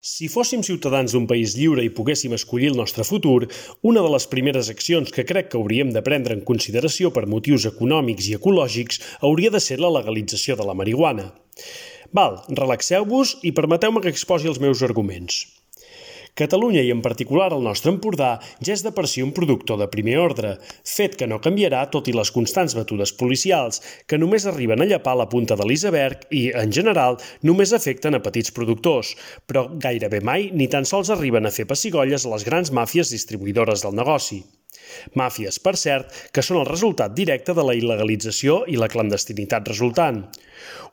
Si fóssim ciutadans d'un país lliure i poguéssim escollir el nostre futur, una de les primeres accions que crec que hauríem de prendre en consideració per motius econòmics i ecològics hauria de ser la legalització de la marihuana. Relaxeu-vos i permeteu-me que exposi els meus arguments. Catalunya i en particular el nostre Empordà ja és de per si un productor de primer ordre, fet que no canviarà tot i les constants batudes policials, que només arriben a llepar la punta de l'iceberg i, en general, només afecten a petits productors, però gairebé mai ni tan sols arriben a fer pessigolles a les grans màfies distribuïdores del negoci. Màfies, per cert, que són el resultat directe de la il·legalització i la clandestinitat resultant.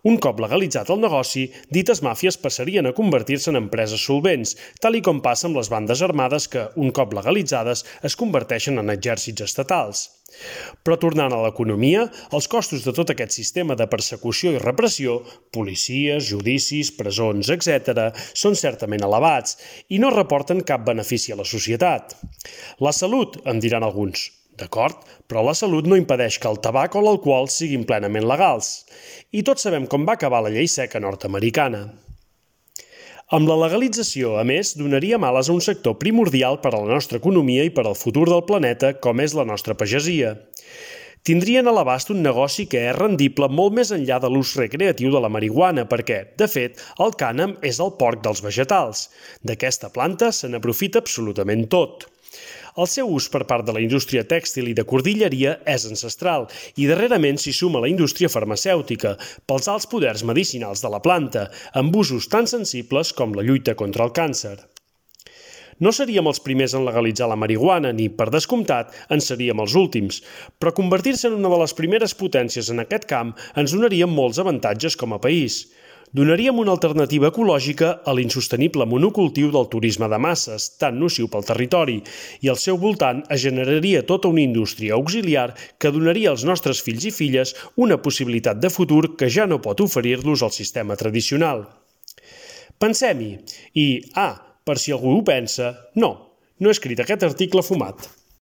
Un cop legalitzat el negoci, dites màfies passarien a convertir-se en empreses solvents, tal i com passa amb les bandes armades que, un cop legalitzades, es converteixen en exèrcits estatals. Però tornant a l'economia, els costos de tot aquest sistema de persecució i repressió, policies, judicis, presons, etc., són certament elevats i no reporten cap benefici a la societat. La salut, em diran alguns. D'acord, però la salut no impedeix que el tabac o l'alcohol siguin plenament legals. I tots sabem com va acabar la llei seca nord-americana. Amb la legalització, a més, donaria ales a un sector primordial per a la nostra economia i per al futur del planeta, com és la nostra pagesia. Tindrien a l'abast un negoci que és rendible molt més enllà de l'ús recreatiu de la marihuana perquè, de fet, el cànem és el porc dels vegetals. D'aquesta planta se n'aprofita absolutament tot. El seu ús per part de la indústria tèxtil i de cordilleria és ancestral i darrerament s'hi suma la indústria farmacèutica pels alts poders medicinals de la planta, amb usos tan sensibles com la lluita contra el càncer. No seríem els primers en legalitzar la marihuana ni, per descomptat, en seríem els últims, però convertir-se en una de les primeres potències en aquest camp ens donaria molts avantatges com a país. Donaríem una alternativa ecològica a l'insostenible monocultiu del turisme de masses, tan nociu pel territori, i al seu voltant es generaria tota una indústria auxiliar que donaria als nostres fills i filles una possibilitat de futur que ja no pot oferir-los el sistema tradicional. Pensem-hi. I, per si algú ho pensa, no he escrit aquest article fumat.